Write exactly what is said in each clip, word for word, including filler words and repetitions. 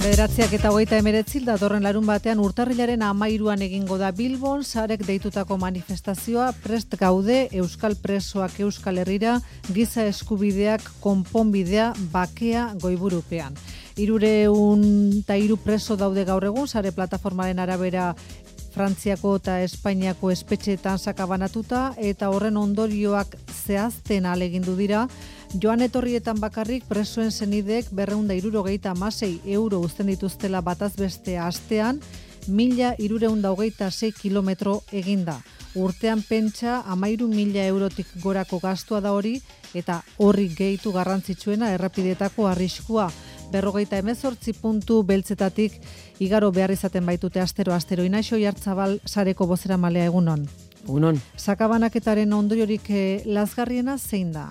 Bederatziak eta hogeita emeretzi datorren larun batean urtarrilaren hamairuan egingo da Bilbon sarek deitutako manifestazioa. Prest gaude euskal presoak Euskal Herrira, giza eskubideak konponbidea, bakea goiburupean. Hirureun eta hiru preso daude gaur egun, sare plataformaren arabera Frantziako eta Espainiako espetxeetan sakabanatuta, eta horren ondorioak zehazten ahalegindu dira. Joan etorrietan bakarrik presoen senideek berrehun eta hirurogeita hamasei euro uzten dituztela bataz beste astean, mila hirurehun eta hogeita sei kilometro eginda. Urtean pentsa hamairu mila eurotik gorako gastua da hori, eta horri gehitu garrantzitsuena errepidetako arriskua. Berrogeita hemezortzi puntu beltzetatik igaro behar izaten baitute astero-astero. Inaxo Jartzabal sareko bozeramalea egunon. Egunon. Sakabanaketaren ondoriorik eh, lazgarriena zein da?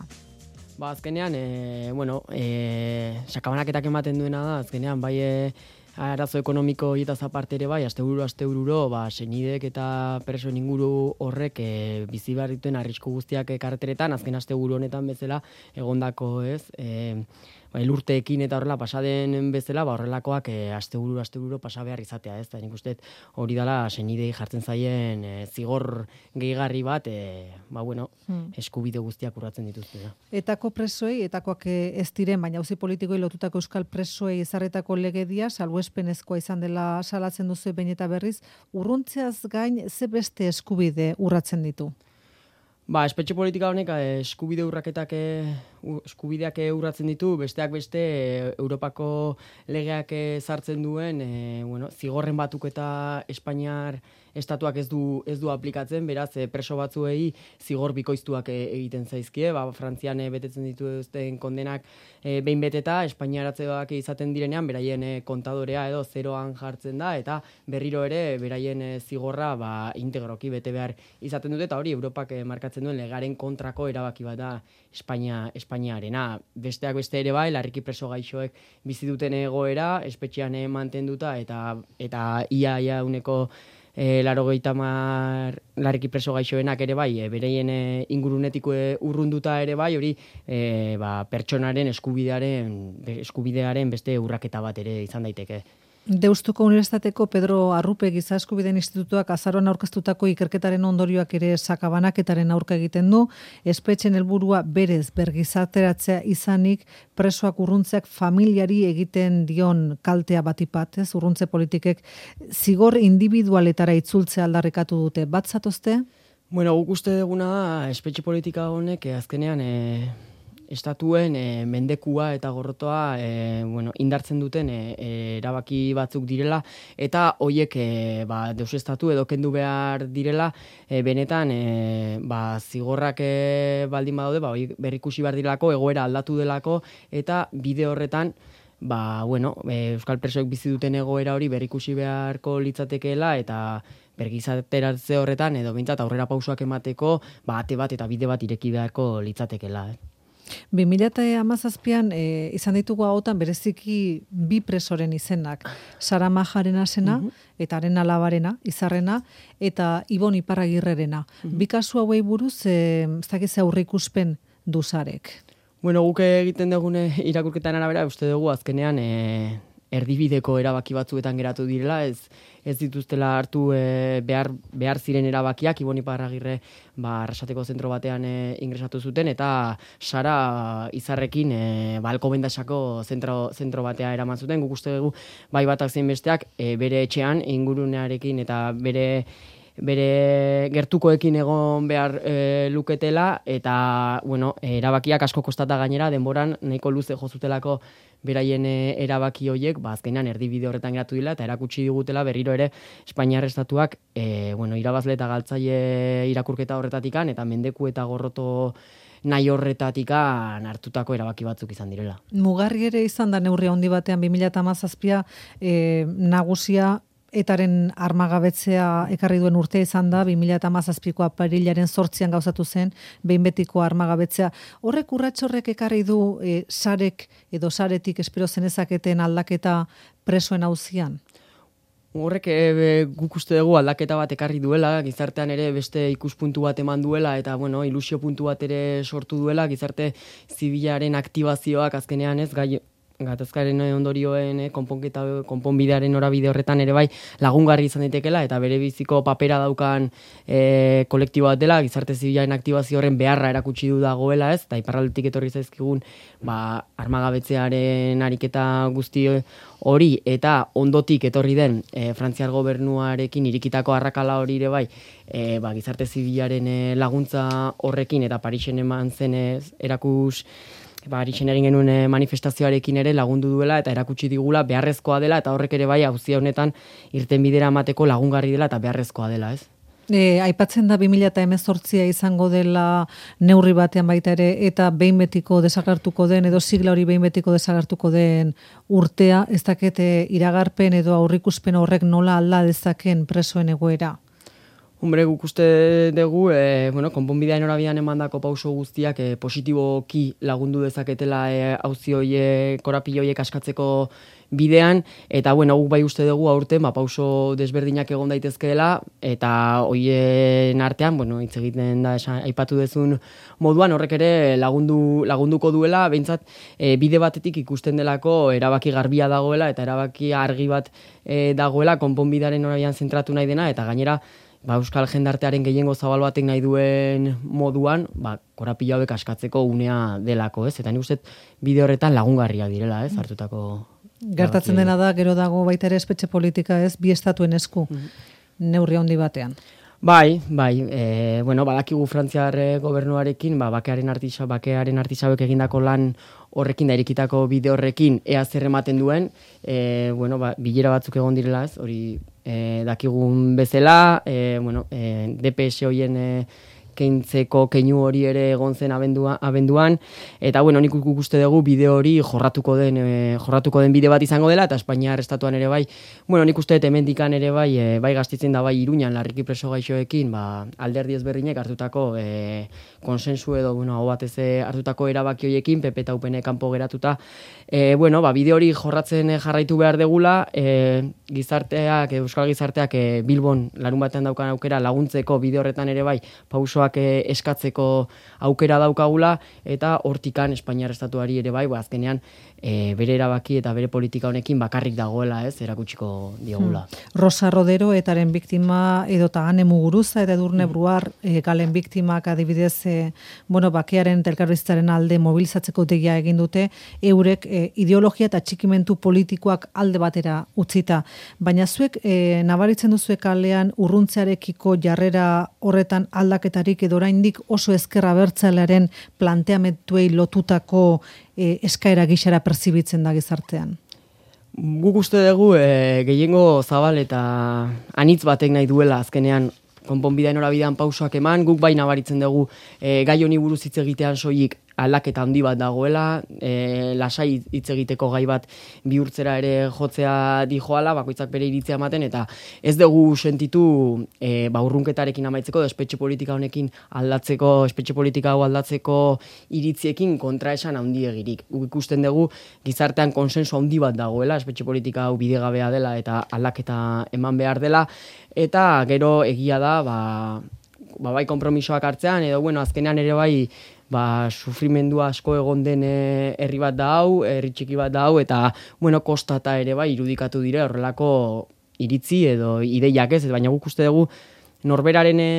Ba, azkenean, e, bueno, e, sakabanaketak ematen duena da, azkenean, bai e, arazo ekonomiko hietaz aparte ere bai, astebururo, astebururo, ba, senidek eta presoen inguru horrek e, bizi behar dituen arrisku guztiak e, karreteretan, azken asteburu honetan bezala, egondako, ez, e, ba, elurteekin eta horrela pasaden bezala, ba, horrelakoak e, astebururo, astebururo pasa behar izatea, ez, eta nik uste hori dela senidei jartzen zaien e, zigor gehigarri bat, e, ba, bueno, hmm. eskubide guztiak urratzen dituzte. Da. Etako presoei, etakoak ez diren, baina auzi politikoei lotutako euskal presoei ezarritako legedia, salbuespenezkoa izan dela salatzen duzu behin eta berriz, urruntzeaz gain ze beste eskubide urratzen ditu? Ba, espetxe politika honek eskubide urraketak eskubideak urratzen ditu, besteak beste Europako legeak sartzen duen, e, bueno, zigorren batuk eta Espainiar estatuak ez du ez du aplikatzen, beraz preso batzuei zigor bikoiztuak egiten zaizkie, ba Frantzian betetzen dituzten kondenak e, behin beteta, Espainiaratzeak izaten direnean beraien e, kontadorea edo zeroan jartzen da, eta berriro ere beraien e, zigorra ba integroki bete behar izaten dute, eta hori Europak e, markatzen duen legaren kontrako erabaki bat da Espainia Espainiarena. Besteak beste ere bai, larriki preso gaixoek bizi duten egoera, espetxean e, mantenduta eta eta ia ia uneko E, larogeita hamar larriki preso gaixoenak ere bai, e, bereien e, ingurunetik e, urrunduta ere bai, hori e, ba, pertsonaren eskubidearen, eskubidearen beste urraketa bat ere izan daiteke. Deustuko Unibertsitateko Pedro Arrupe Giza Eskubideen Institutuak azaroan aurkeztutako ikerketaren ondorioak ere sakabanaketaren aurka egiten du. Espetxen helburua berez bergizarteratzea izanik, presoak urruntzeak familiari egiten dion kaltea batipat, ez? Urruntze politikek zigor individualetara itzultzea aldarrikatu dute. Bat zatozte? Bueno, guk uste duguna espetxe politika honek azkenean e... estatuen e, mendekua eta gorrotoa e, bueno, indartzen duten e, e, erabaki batzuk direla, eta hoiek e, ba, deusestatu edo kendu behar direla, e, benetan e, ba, zigorrak e, baldin badaude, ba, berrikusi behar direlako, egoera aldatu delako, eta bide horretan ba, bueno, e, euskal presoek bizi duten egoera hori berrikusi beharko litzatekeela, eta bergizateratze horretan edo behintzat aurrera pausoak emateko ba, ate bat eta bide bat ireki beharko litzatekeela. Eh? bi mila hamazazpian e, izan ditugu hautan bereziki bi presoren izenak, Sara Majarena zena, uh-huh. eta haren alabarena, Izarrena, eta Ibon Iparragirrerena. Uh-huh. Bi kasu hauei buruz, e, ez dakiz aurreikuspen du Sarek. Bueno, guk egiten dugune irakurketan arabera, uste dugu azkenean e, erdibideko erabaki batzuetan geratu direla, ez ez dituztela hartu e, behar, behar ziren erabakiak, Ibon Iparragirre ba, Arrasateko zentro batean e, ingresatu zuten, eta Sara Izarrekin e, ba, Alkobendasako zentro, zentro batea eraman zuten. Guk uste dugu bai batak zein besteak e, bere etxean, ingurunearekin eta bere bere gertukoekin egon behar e, luketela, eta bueno, erabakiak asko kostata gainera, denboran nahiko luze jozutelako beraien erabaki horiek, ba, azkenean erdibide horretan geratu dira, eta erakutsi digutela berriro ere Espainiar estatuak e, bueno, irabazle eta galtzaile irakurketa horretatikan, eta mendeku eta gorroto nahi horretatikan hartutako erabaki batzuk izan direla. Mugarri ere izan da neurri handi batean bi mila hamazazpia e, nagusia etaren armagabetzea ekarri duen urtea izan da, bi mila hamazazpiko apirilaren zortzian gauzatu zen, behin betiko armagabetzea. Horrek urratxorrek ekarri du e, sarek edo saretik espero zenezaketen aldaketa presoen auzian? Horrek e, guk uste dugu aldaketa bat ekarri duela, gizartean ere beste ikuspuntu bat eman duela, eta bueno, ilusio puntu bat ere sortu duela, gizarte zibilaren aktibazioak azkenean ez, gai gatazkaren ondorioen eh, konponketa konponbidearen norabide horretan ere bai lagungarri izan daitekeela eta bere biziko papera daukan eh, kolektibo bat dela, gizarte zibilaren aktibazio horren beharra erakutsi du dagoela, ez? Ta iparraldetik etorri zaizkigun ba armagabetzearen ariketa guzti hori eta ondotik etorri den e, Frantziar gobernuarekin irikitako arrakala hori ere bai e, ba, gizarte zibilaren e, laguntza horrekin eta Parisen eman zenez erakus ba, Parisen egin genuen e, manifestazioarekin ere lagundu duela eta erakutsi digula beharrezkoa dela eta horrek ere bai auzia honetan irtenbidera emateko lagungarri dela eta beharrezkoa dela, ez? E, aipatzen da bi mila hemezortzia izango dela neurri batean baita ere eta behin betiko desagertuko den edo sigla hori behin betiko desagertuko den urtea, ez dakit e, iragarpen edo aurrikuspen horrek nola alda dezaken presoen egoera? Hombre, guk uste dugu, e, bueno, konponbidean norabidean emandako pauso guztiak e, positiboki lagundu dezaketela e, auzi hoiek, korapilo horiek askatzeko bidean, eta bueno, guk bai uste dugu aurten ba, pauso desberdinak egon daitezkeela, eta hoien artean, bueno, hitz egiten da esan, aipatu dezun moduan, horrek ere lagundu, lagunduko duela, behintzat e, bide batetik ikusten delako erabaki garbia dagoela, eta erabaki argi bat e, dagoela, konponbidearen norabidean zentratu nahi dena, eta gainera, ba, euskal jendartearen gehiengo zabal batek nahi duen moduan, ba, korapilo hauek askatzeko unea delako, ez? Eta nik uste bide horretan lagungarriak direla, ez? Hartutako gertatzen dena da, gero dago baita ere espetxe politika, ez? Bi estatuen esku, mm-hmm. neurri handi batean. Bai, bai, e, bueno, badakigu Frantziar gobernuarekin, ba, bakearen artisa, bakearen artisauek egindako lan horrekin da irikitako bide horrekin ea zer ematen duen, e, bueno, ba, bilera batzuk egon direla, ez? Hori e, dakigun bezala, e, bueno, e, D P S hoien e, keintzeko keinu hori ere egon zen abendua, abenduan, eta bueno, nik uste dugu bide hori jorratuko den, e, jorratuko den bide bat izango dela, eta Espainiar estatuan ere bai, bueno, nik uste hemendikan ere bai, e, bai Gastitzen da bai Iruñan larriki preso gaixoekin, ba, alderdi ezberdinek hartutako e, konsensu edo, bueno, hau batez hartutako erabaki horiekin, P P eta U P N kanpo geratuta, e, bueno, ba, bide hori jorratzen jarraitu behar degula, e, gizarteak, euskal gizarteak e, Bilbon larun batean daukan aukera laguntzeko bide horretan ere bai, pausoak eskatzeko aukera daukagula eta hortikan Espainiar estatuari ere bai, ba, azkenean e, bere erabaki eta bere politika honekin bakarrik dagoela, ez, erakutsiko diogula. Hmm. Rosa Rodero etaren biktima edota Ane Muguruza eta Edurne Bruar e, galen biktimak adibidez e, bueno, bakearen eta elkarbizitzaren alde mobilizatzeko deia egin dute, eurek e, ideologia eta txikimentu politikoak alde batera utzita. Baina zuek e, nabaritzen duzuek kalean urruntzearekiko jarrera horretan aldaketarik edo oraindik oso ezkerra abertzalearen planteamenduei lotutako e, eskaera gixara perzibitzen da gizartean? Guk uste dugu e, gehiengo zabal eta anitz batek nahi duela azkenean konponbidean norabidean pausoak eman, guk bai nabaritzen dugu e, gai honi buruz hitz egitean soilik aldaketa handi bat dagoela, e, lasai hitz egiteko gai bat bihurtzera ere jotzea dijoala, bakoitzak bere iritzia ematen, eta ez dugu sentitu e, ba, urrunketarekin amaitzeko, espetxe politika honekin aldatzeko, espetxe politika hau aldatzeko iritziekin kontraesan handi egirik. Guk ikusten dugu gizartean konsensu handi bat dagoela, espetxe politika hau bidegabea dela eta aldaketa eman behar dela, eta gero egia da, ba, ba bai konpromisoak hartzean, edo bueno, azkenean ere bai, ba, sufrimendua asko egon den herri bat da hau, herri txiki bat da hau, eta, bueno, kostata ere bai, irudikatu dire horrelako iritzi edo ideiak ez, baina guk uste dugu norberaren e,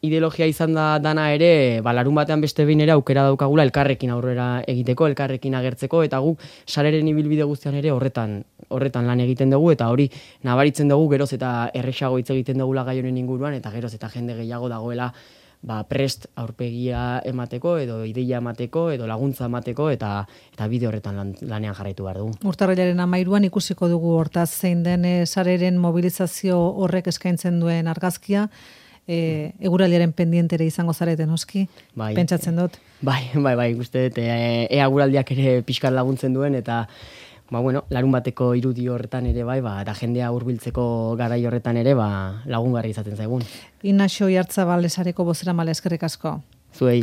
ideologia izan da dana ere, ba, larun batean beste behin ere aukera daukagula elkarrekin aurrera egiteko, elkarrekin agertzeko, eta guk sareren ibilbide guztian ere horretan horretan lan egiten dugu, eta hori nabaritzen dugu geroz eta erresago hitz egiten dugula gai honen inguruan, eta geroz eta jende gehiago dagoela ba, prest aurpegia emateko, edo ideia emateko, edo laguntza emateko, eta eta bide horretan lan, lanean jarraitu behar dugu. Urtarrilaren hamairuan ikusiko dugu hortaz zein den e, sareren mobilizazio horrek eskaintzen duen argazkia, e, eguraldiaren pendientere izango zareten oski, bai, pentsatzen dut. Bai, bai, bai, uste dut, e, eguraldiak ere pixkat laguntzen duen, eta ba, bueno, larun bateko irudi horretan ere bai, ba, eta jendea hurbiltzeko garai horretan ere ba, lagungarri izaten zaigun. Inaxo Oiartzabal Esareko bozeramale eskerrik asko. Zuei